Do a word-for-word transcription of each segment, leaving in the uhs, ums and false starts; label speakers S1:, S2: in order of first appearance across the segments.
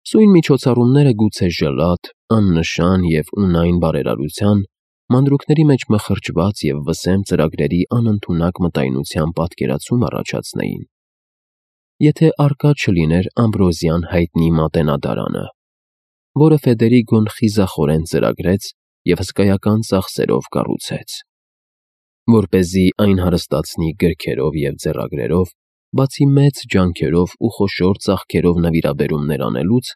S1: Սույն միջոցառումները գուցե ժլատ, աննշան և ունայն բարերարության, մանրուքների մեջ մխրճված և վսեմ ծրագրերի անընդունակ մտայնության պատկերացում առաջացնեին, եթե առկա չլիներ Ամբրոզյան հայտնի Մատենադարանը, որը Ֆեդերիգոն խիզախորեն ծրագրեց և հսկայական ծախսերով կառուցեց, որպեսզի այն հարստացնի գրքերով և ձեռագրերով, բացի մեծ ջանքերով ու խոշոր ծախքերով նվիրաբերումներ անելուց,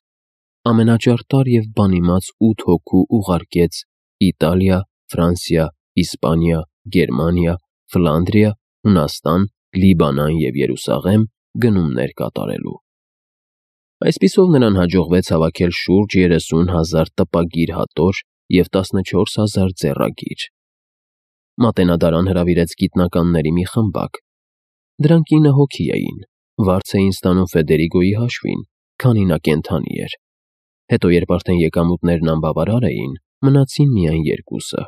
S1: ամենաճարտար և բանիմաց ութ հոգու ուղարկեց Իտալիա, Ֆրանսիա, Իսպանիա, Գերմանիա, Ֆլանդրիա, Հունաստան, Լիբանան և Երուսաղեմ գնումներ կատարելու։ Այսպիսով նրան հաջողվեց հավաքել շուրջ երեսուն հազար տպագիր հատոր և տասնչորս հազար ձեռագիր։ Մատենադարան հրավիրեց գիտնականների մի խմբակ։ Դրանք ինը հոգի էին, վարձ էին ստանում Ֆեդերիգոյի հաշվին, քանի նա կենդանի էր։ Հետո, երբ արդեն եկամուտներն անբավարար էին, մնացին միայն երկուսը։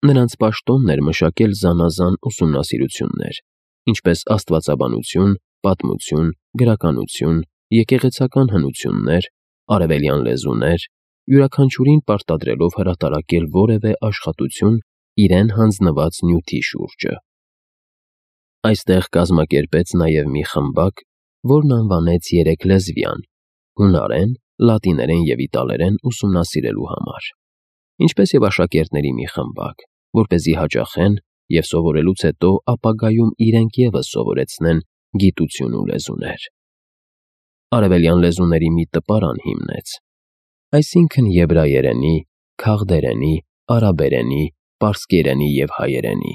S1: Նրանց պաշտոնն էր մշակել զանազան ուսումնասիրություններ, ինչպես աստվածաբանություն, պատմություն, գրականություն, եկեղեցական հնություններ, արևելյան լեզուներ, յուրաքանչյուրին պարտադրելով հրատարակել որևէ աշխատություն իրեն հանձնված նյութի շուրջը։ Այստեղ կազմակերպեց նաև մի խմբակ, որն անվանեց երեքլեզվյան՝ հունարեն, լատիներեն և իտալերեն ուսումնասիրելու համար, ինչպես և աշակերտների մի խմբակ, որպեսզի հաճախեն և սովորելուց հետո ապագայում իրենք ևս սովորեցնեն գիտություն ու լեզուներ։ Արևելյան լեզուների մի տպարան հիմնեց, այսինքն՝ եբրայերենի, քաղդերենի, արաբերենի, պարսկերենի և հայերենի,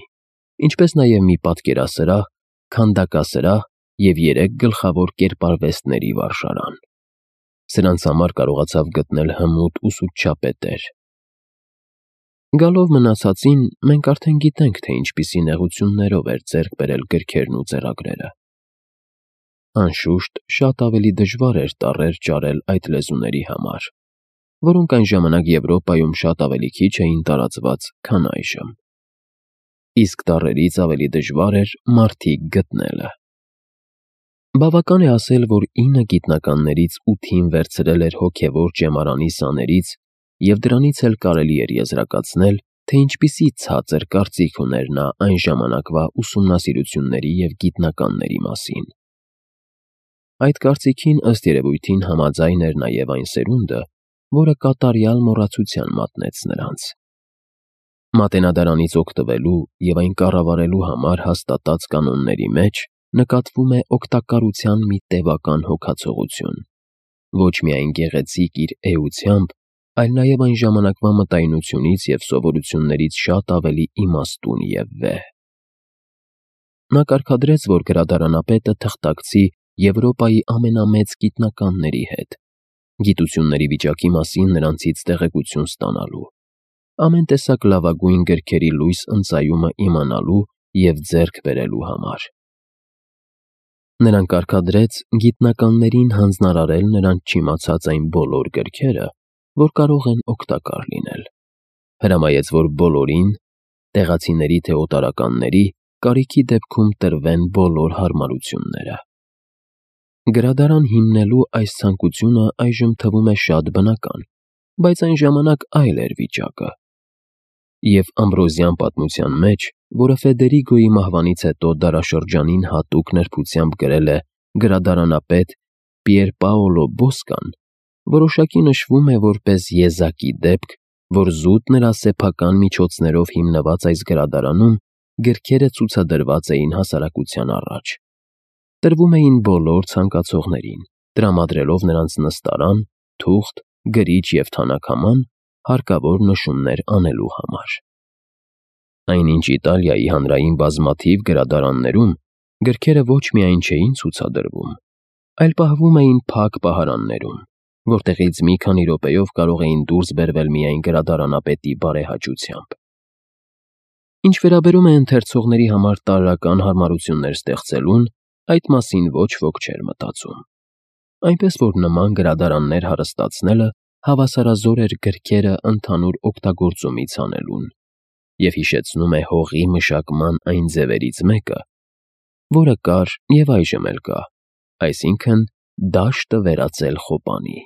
S1: ինչպես նաև մի պատկերասրահ, քանդակասրահ և երեք գլխավոր կերպարվեստների վարժարան։ Սրանց համար կարողացավ գտնել հմուտ ուսուցչապետեր։ Գալով մնացածին, մենք արդեն գիտենք, թե ինչպիսի նեղություններով էր ձեռք բերել գրքերն ու ձեռագրերը։ Անշուշտ, շատ ավելի դժվար էր տառեր ճարել այդ լեզուների համար, որոնք այն ժամանակ Եվրոպայում շատ ավելի քիչ էին տարածված, քան այժմ։ Իսկ տառերից ավելի դժվար էր մարդիկ գտնելը։ Բավական է ասել, որ ինը գիտնականներից ութին վերցրել էր հոգևոր ճեմարանի սաներից և դրանից էլ կարելի էր եզրակացնել, թե ինչպիսի ցածր կարծիք ուներ նա այն ժամանակվա ուսումնասիրությունների և գիտնականների մասին։ Այդ կարծիքին, ըստ երևույթին, համաձայն էր նաև այն սերունդը, որը կատարյալ մոռացության մատնեց նրանց։ Մատենադարանից օգտվելու և այն կառավարելու համար հաստատած կանոնների մեջ նկատվում է օգտակարության մի տևական հոգացողություն, ոչ միայն գեղեցիկ իր էությամբ, այլ նաև այն ժամանակվա մտայնությունից և սովորություններից շատ ավելի իմաստուն և վեհ։ Նա կարգադրեց, որ գրադարանապետը թղթակցի Եվրոպայի ամենամեծ գիտնականների հետ, գիտությունների վիճակի մասին նրանցից տեղեկություն ստանալու, ամեն տեսակ լավագույն գրքերի լույս ընծայումը իմանալու և ձեռք բերելու համար։ Նրան կարգադրեց գիտնականներին հանձնարարել նրանց չիմացած այն բոլոր գրքերը, որ կարող են օգտակար լինել։ Հրամայեց, որ բոլորին, տեղացիների թե օտարականների, կարիքի դեպքում տրվեն բոլոր հարմարությունները։ Գրադարան հիմնելու այս ցանկությունը այժմ թվում է շատ բնական, բայց այն ժամանակ այլ էր վիճակը։ Եվ Ամբրոզյան պատմության մեջ, որը Ֆեդերիգոյի մահվանից հետո դարաշրջանին հատուկ նրբությամբ գրել է գրադարանապետ Պիերպաոլո Բոսկան, որոշակի նշվում է որպես եզակի դեպք, որ զուտ նրա սեփական միջոցներով հիմնված այս գրադարանում գրքերը ցուցադրված էին հասարակության առաջ։ Տրվում էին բոլոր ցանկացողներին, տրամադրելով նրանց նստարան, թուղթ, գրիչ և թանաքաման հարկավոր նշումներ անելու համար։ Այնինչ Իտալիայի հանրային բազմաթիվ գրադարաններում գրքերը ոչ միայն չէին ցուցադրվում, այլ պահվում էին փակ պահարաններում, որտեղից մի քանի րոպեով կարող էին դուրս բերվել միայն գրադարանապետի բարեհաճությամբ։ Ինչ վերաբերում է ընթերցողների համար տարրական հարմարություններ ստեղծելուն, այդ մասին ոչ ոք չէր մտածում։ Այնպես որ նման գրադարաններ հարստացնելը հավասարազոր էր գրքերը ընդհանուր օգտագործումից հանելուն և հիշեցնում է հողի մշակման այն ձևերից մեկը, որը կար և այժմ էլ կա, այսինքն՝ դաշտը վերածել խոպանի։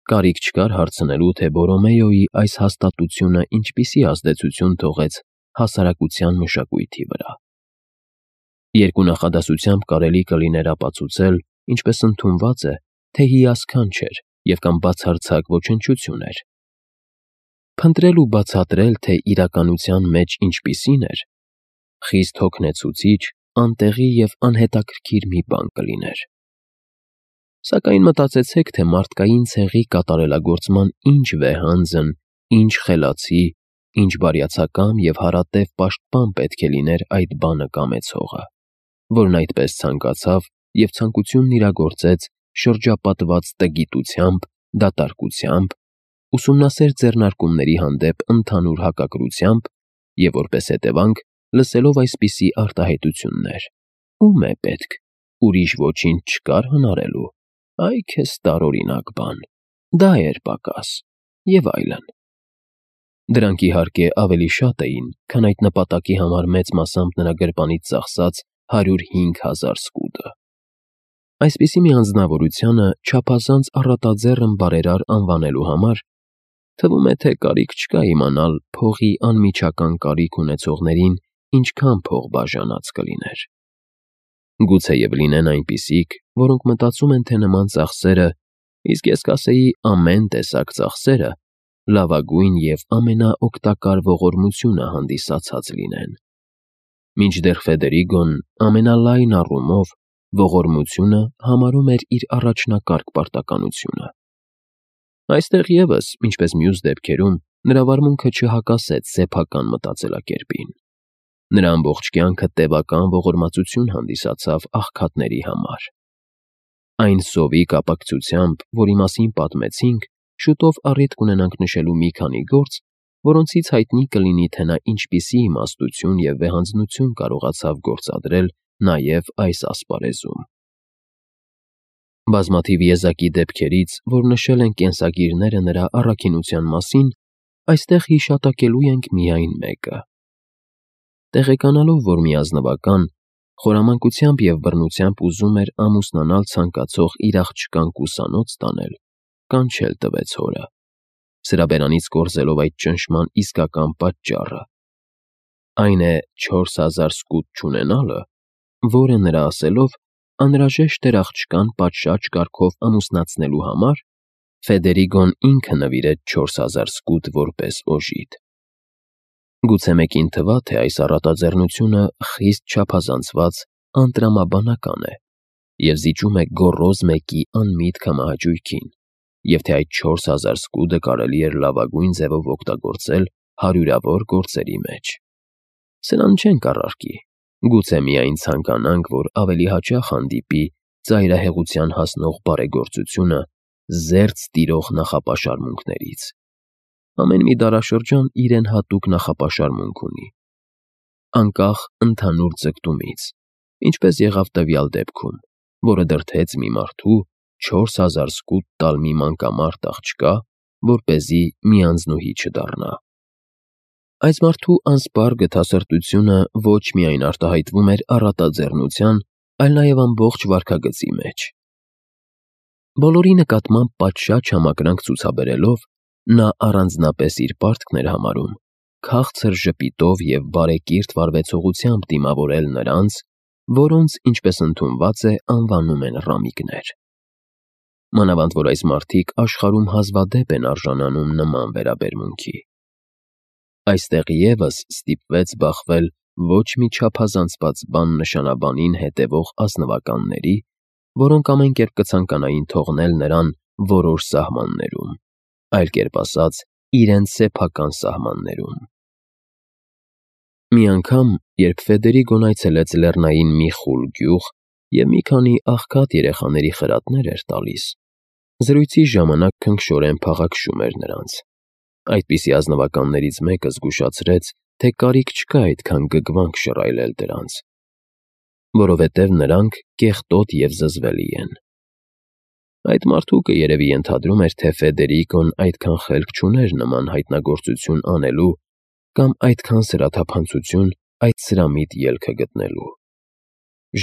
S1: կարիք չկար հարցնելու, թե Բորոմեոյի այս հաստատությունը ինչպիսի ազդեցություն թողեց հասարակության մշակույթի վրա։ Երկու նախադասությամբ կարելի կլիներ ապացուցել, ինչպես ընդունված է, թե հիասքանչ էր և կամ բացարձակ ոչնչություն էր։ Փնտրել ու բացատրել, թե իրականության մեջ ինչպիսին էր, խիստ հոգնեցուցիչ, անտեղի և անհետաքրքիր մի բան կլիներ։ Սակայն մտածեցեք, թե մարդկային ցեղի կատարելագործման ինչ վեհանձն, ինչ խելացի, ինչ բարյացակամ և հարատև պաշտպան պետք է լիներ այդ բանը կամեցողը, որն այդպես ցանկացավ և ցանկությունն իրագործեց շրջապատված տգիտությամբ, դատարկությամբ, ուսումնասեր ձեռնարկումների հանդեպ ընդհանուր հակակրությամբ և որպես հետևանք, լսելով այսպիսի արտահայտություններ. «Ո՞ւմ է պետք, ուրիշ ոչինչ չկար հնարելու, այ քեզ տարօրինակ բան, դա էր պակաս» և այլն։ Դրանք, իհարկե, ավելի շատ էին, քան այդ նպատակի համար մեծ մասամբ նրա գրպանից ծախսած հարյուր հինգ հազար սկուտը։ Այսպիսի մի անձնավորությանը չափազանց առատաձեռն բարերար անվանելու համար թվում է, թե կարիք չկա իմանալ փողի անմիջական կարիք ունեցողներին ինչքան փող բաժանած կլիներ։ Գուցեև լինեն այնպիսիք, որոնք մտածում են, թե նման ծախսերը, իսկ ես կասեի ամեն տեսակ ծախսերը, լավագույն և ամենաօգտակար ողորմությունը հանդիսացած լինեն։ Մինչդեռ Ֆեդերիգոն ամենալայն առումով ողորմությունը համարում էր իր առաջնակարգ պարտականությունը։ Այստեղ ևս, ինչպես մյուս դեպքերում, նրա վարմունքը չհակասեց սեփական մտածելակերպին։ Նրա ամբողջ կյանքը տևական ողորմածություն հանդիսացավ աղքատների համար։ Այն սովի կապակցությամբ, որի մասին պատմեցինք, շուտով առիթ կունենանք նշելու մի քանի գործ, որոնցից հայտնի կլինի, թե նա ինչպիսի իմաստություն և վեհանձնություն կարողացավ գործադրել նաև այս ասպարեզում։ Բազմաթիվ եզակի դեպքերից, որ նշել են կենսագիրները նրա առաքինության մասին, այստեղ հիշատակելու ենք միայն մեկը։ Տեղեկանալով, որ մի ազնվական խորամանկությամբ և բռնությամբ ուզում էր ամուսնանալ ցանկացող իր աղջկան կուսանոց տանել, կանչել տվեց հորը, սրա բերանից կորզելով այդ ճնշման իսկական պատճառը, այն է չորս հազար սկուտ չունենալը, որը, նրա ասելով, անհրաժեշտ էր աղջկան պատշաճ կարգով ամուսնացնելու համար, Ֆեդերիգոն ինքը նվիրեց չորս հազար սկուտ որպես օժիտ։ Գուցե մեկին թվա, թե այս առատաձեռնությունը խիստ չափազանցված անտրամաբանական է և զիջում է գոռոզ մեկի անմիտ քամահաճույքին, և թե այդ չորս հազար սկուտը կարելի էր լավագույն ձևով օգտագործել հարյուրավոր գործերի մեջ։ Սրան չենք առարկի, գուցե միայն ցանկանանք, որ ավելի հաճախ հանդիպի ծայրահեղության հասնող բարեգործությունը զերծ տիրող նախապաշարմունքներից։ Ամեն մի դարաշրջան իրեն հատուկ նախապաշարմունք ունի, անկախ ընդհանուր ձգտումից, ինչպես եղավ տվյալ դեպքում, որը դրդեց մի մարդու չորս հազար սկուտ տալ մի մանկամարդ աղջկա, որպեսզի մի անձնուհի չդառնա։ Այս մարդու անսպառ գթասրտությունը ոչ միայն արտահայտվում էր առատաձեռնության, այլ նաև ամբողջ վարքագծի մեջ։ Բոլորի նկատմամբ պատշաճ համակրանք ցուցաբերելով, նա առանձնապես իր պարտքն էր համարում քաղցր ժպիտով և բարեկիրթ վարվեցողությամբ դիմավորել նրանց, որոնց, ինչպես ընդունված է, անվանում են ռամիկներ։ Մանավանդ որ այս մարդիկ աշխարհում հազվադեպ են արժանանում նման վերաբերմունքի։ Այստեղ ևս ստիպվեց բախվել ոչ մի չափազանցված բան նշանաբանին հետևող ազնվականների, որոնք ամեն կերպ կցանկանային թողնել նրան որոշ սահմաններում, այլ կերպ ասած, իրենց սեփական սահմաններում։ Մի անգամ, երբ Ֆեդերիգոն այցելեց լեռնային մի խուլ գյուղ և մի քանի աղքատ երեխաների խրատներ էր տալիս, զրույցի ժամանակ քնքշորեն փաղաքշում էր նրանց։ Այդպիսի ազնվականներից մեկը զգուշացրեց, թե կարիք չկա այդքան գգվանք շռայլել դրանց, որովհետև նրանք կեղտոտ և զզվելի են։ Այդ մարդուկը երևի ենթադրում էր, թե Ֆեդերիգոն այդքան խելք չուներ նման հայտնագործություն անելու կամ այդքան սրաթափանցություն այդ սրամիտ ելքը գտնելու։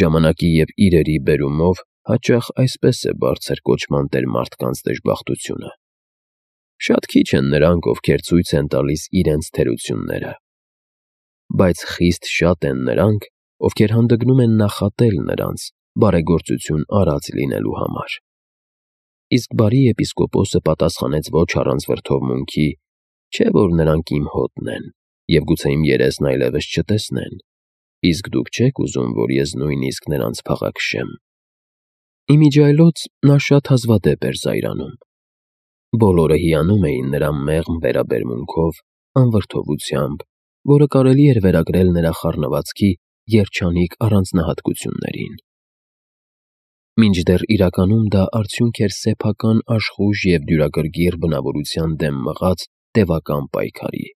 S1: Ժամանակի և իրերի բերումով հաճախ այսպես է բարձր կոչման տեր մարդկանց դժբախտությունը։ Շատ քիչ են նրանք, ովքեր ցույց են տալիս իրենց թերությունները, բայց խիստ շատ են նրանք, ովքեր հանդգնում են նախատել նրանց բարեգործություն արած լինելու համար։ Իսկ բարի եպիսկոպոսը պատասխանեց ոչ առանց վրդովմունքի, չէ՞ որ նրանք իմ հոտն են, և գուցե իմ երեսն այլևս չտեսնեն, իսկ դուք չեք ուզում, որ ես նույնիսկ նրանց փաղաքշեմ։ Իմիջիայլոց նա շատ հազվադեպ էր զայրանում։ Բոլորը հիանում էին նրա մեղմ վերաբերմունքով, անվրդովությամբ, որը կարելի էր վերագրել նրա խառնվածքի երջանիկ առանձնահատկություններին։ Մինչդեռ իրականում դա արդյունք էր սեփական աշխույժ և դյուրագրգիռ բնավորության դեմ մղած տևական պայքարի։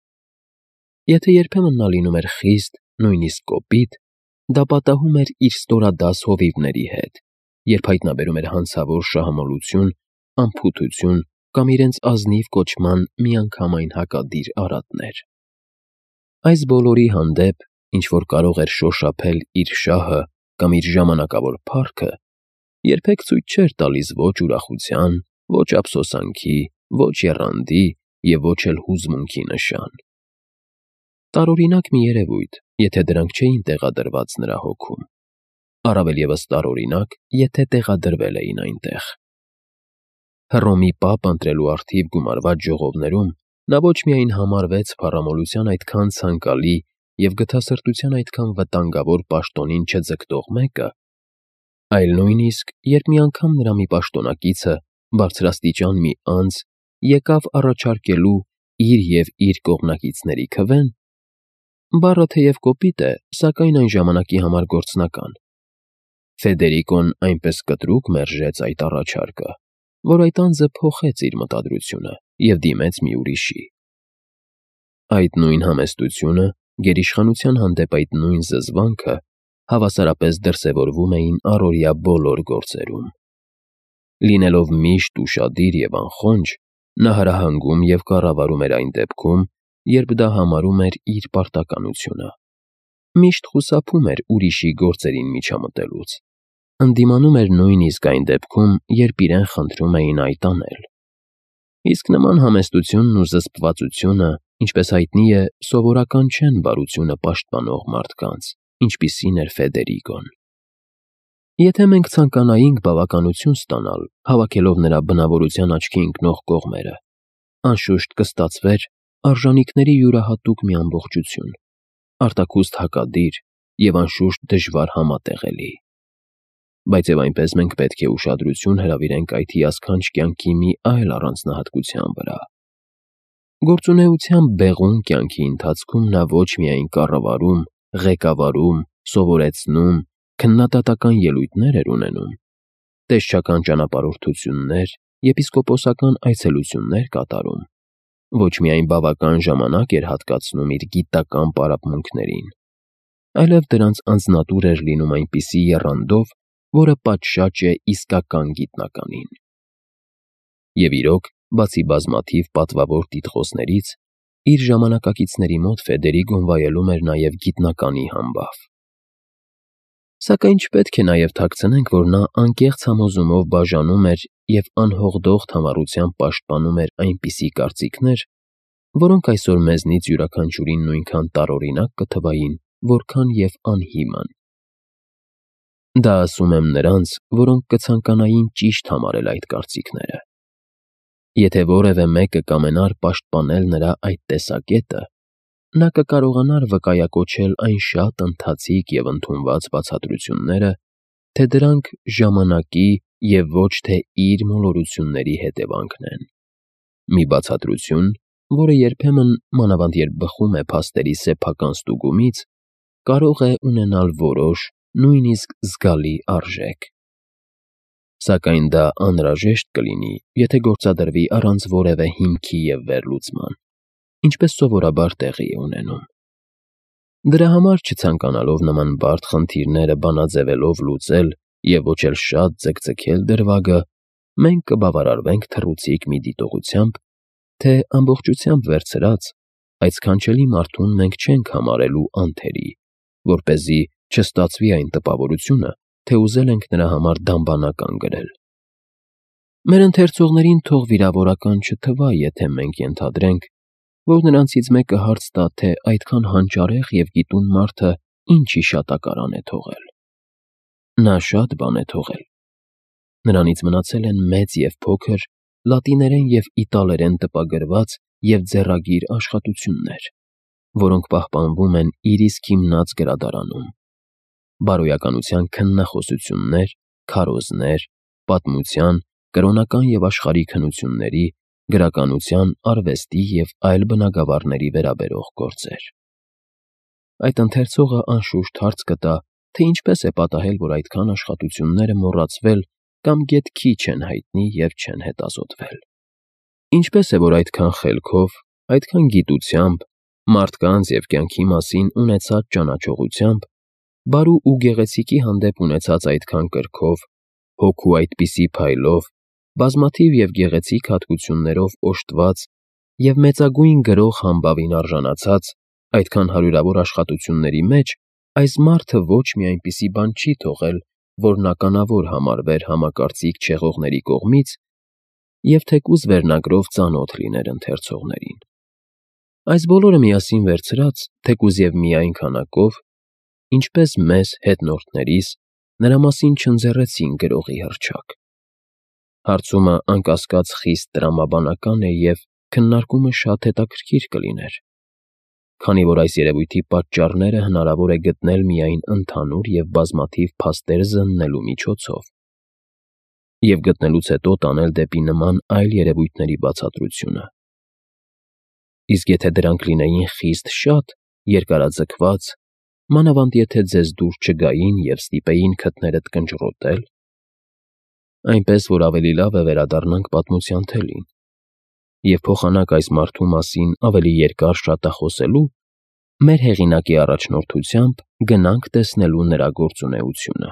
S1: Եթե երբեմն նա լինում էր խիստ, նույնիսկ կոպիտ, դա պատահում էր իր ստորադաս հովիվների հետ, երբ հայտնաբերում էր հանցավոր շահամոլություն, անփութություն կամ իրենց ազնիվ կոչման միանգամայն հակադիր արատներ։ Այս բոլորի հանդեպ, ինչ-որ կարող էր շոշափել իր շահը կամ իր ժամանակավոր փառքը, երբեք ցույց չէր տալիս ոչ ուրախության, ոչ ափսոսանքի, ոչ եռանդի և ոչ էլ հուզմունքի նշան։ Տարօրինակ մի երևույթ, եթե դրանք չէին տեղադրված նրա հոգում, առավել ևս տարօրինակ, եթե տեղադրվել էին այնտեղ։ Հռոմի պապ ընտրելու առթիվ գումարված ժողովներում նա ոչ միայն համարվեց փառամոլության այդքան ցանկալի և գթասրտության այդքան վտանգավոր պաշտոնին չձգտող մեկը, այլ նույնիսկ, երբ մի անգամ նրա մի պաշտոնակիցը, բարձրաստիճան մի անձ, եկավ առաջարկելու իր և իր կողմնակիցների քվեն, բառը թեև կոպիտ է, սակայն այն ժամանակի համար գործնական, Ֆեդերիկոն այնպես կտրուկ մերժեց այդ առաջարկը, որ այդ անձը փոխեց իր մտադրությունը և դիմեց մի ուրիշի։ Այդ նույն համեստությունը, գերիշխանության հանդեպ այդ նույն զզվանքը հավասարապես դրսևորվում էին առօրյա բոլոր գործերում։ Լինելով միշտ ուշադիր և անխոնջ, նա հրահանգում և կառավարում էր այն դեպքում, երբ դա համարում էր իր պարտականությունը։ Միշտ խուսափում էր ուրիշի գործերին միջամտելուց, ընդդիմանում էր նույնիսկ այն դեպքում, երբ իրեն խնդրում էին այդ անել։ Իսկ նման համեստությունն ու զսպվածությունը, ինչպես հայտնի է, սովորական չեն բարությունը պաշտպանող մարդկանց, ինչպիսին էր Ֆեդերիկոն։ Եթե մենք ցանկանայինք բավականություն ստանալ, հավաքելով նրա բնավորության աչքի ընկնող կողմերը, անշուշտ կստացվեր արժանիքների յուրահատուկ մի ամբողջություն, արտաքուստ հակադիր և անշուշտ դժվար համատեղելի։ Բայց և այնպես մենք պետք է ուշադրություն հրավիրենք այդ հիասքանչ կյանքի մի այլ առանձնահատկության վրա։ Գործունեության բեղուն կյանքի ընթացքում նա ոչ միայն կառավարում, ղեկավարում, սովորեցնում, քննադատական ելույթներ էր ունենում, տեսչական ճանապարհորդություններ, եպիսկոպոսական այցելություններ կատարում, ոչ միայն բավական ժամանակ էր հատկացնում իր գիտական պարապմունքներին, այլև դրանց անձնատուր էր լինում այնպիսի եռանդով, որը պատշաճ է իսկական գիտնականին։ Եվ իրոք, բացի բազմաթիվ պատվավոր տիտղոսներից, իր ժամանակակիցների մոտ Ֆեդերիկոն վայելում էր նաև գիտնականի համբավ։ Սակայն չպետք է նաև թաքցնենք, որ նա անկեղծ համոզումով բաժանում էր և անհողդող համառությամբ պաշտպանում էր այնպիսի կարծիքներ, որոնք այսօր մեզնից յուրաքանչյուրին նույնքան տարօրինակ կթվային, որքան և անհիմն։ Դա ասում եմ նրանց, որոնք կցանկանային ճիշտ համարել այդ կարծիքները։ Եթե որևէ մեկը կամենար պաշտպանել նրա այդ տեսակետը, նա կկարողանար վկայակոչել այն շատ ընթացիկ և ընդունված բացատրությունները, թե դրանք ժամանակի և ոչ թե իր մոլորությունների հետևանքն են։ Մի բացատրություն, որը երբեմն, մանավանդ երբ բխում է փաստերի սեփական ստուգումից, կարող է ունենալ որոշ, նույնիսկ զգալի արժեք։ Սակայն դա անհրաժեշտ կլինի, եթե գործադրվի առանց որևէ հիմքի և վերլուծման, ինչպես սովորաբար տեղի է ունենում։ Դրա համար, չցանկանալով նման բարդ խնդիրները բանաձևելով լուծել և ոչ էլ շատ ձգձգել դրվագը, մենք կբավարարվենք թռուցիկ մի դիտողությամբ, թե ամբողջությամբ վերցրած, այդ սքանչելի մարդուն մենք չենք համարելու անթերի, որպեսզի չստացվի այն տպավորությունը, թե ուզել ենք նրա համար դամբանական գրել։ Մեր ընթերցողներին թող վիրավորական չթվա, եթե մենք ենթադրենք, որ նրանցից մեկը հարց տա, թե այդքան հանճարեղ և գիտուն մարդը ինչ հիշատակարան է թողել։ Նա շատ բան է թողել։ Նրանից մնացել են մեծ և փոքր, լատիներեն և իտալերեն տպագրված և ձեռագիր աշխատություններ, որոնք պահպանվում են իր իսկ հիմնած գրադարանում, բարոյականության քննախոսություններ, քարոզներ, պատմության, կրոնական և աշխարհիկ հնությունների, գրականության, արվեստի և այլ բնագավառների վերաբերող գործեր։ Այդ ընթերցողը անշուշտ հարց կտա, թե ինչպես է պատահել, որ այդքան աշխատությունները մոռացվել կամ գեթ քիչ են հայտնի և չեն հետազոտվել։ Ինչպես է, որ այդքան խելքով, այդքան գիտությամբ, մարդկանց և կյանքի մասին ունեցած ճանաչողությամբ, բարու ու գեղեցիկի հանդեպ ունեցած այդքան կրքով, հոգու այդպիսի փայլով, բազմաթիվ և գեղեցիկ հատկություններով օժտված և մեծագույն գրող համբավին արժանացած այդքան հարյուրավոր աշխատությունների մեջ այս մարդը ոչ մի այնպիսի բան չի թողել, որն ականավոր համարվեր համակարծիք չեղողների կողմից և թեկուզ վերնագրով ծանոթ լիներ ընթերցողներին։ Այս բոլորը միասին վերցրած, թեկուզ և միայն քանակով, ինչպես մեզ, հետնորդներիս, նրա մասին չընձեռեցին գրողի հռչակ։ Հարցումը, անկասկած, խիստ տրամաբանական է և քննարկումը շատ հետաքրքիր կլիներ, քանի որ այս երևույթի պատճառները հնարավոր է գտնել միայն ընդհանուր և բազմաթիվ փաստեր զննելու միջոցով և գտնելուց հետո տանել դեպի նման այլ երևույթների բացատրությունը։ Իսկ եթե դրանք լինեին խիստ շատ, երկարաձգված, մանավանդ եթե ձեզ դուր չգային և ստիպեին քթներդ կնճռոտել, այնպես որ ավելի լավ է վերադառնանք պատմության թելին և փոխանակ այս մարդու մասին ավելի երկար շատախոսելու, մեր հեղինակի առաջնորդությամբ գնանք տեսնելու նրա գործունեությունը։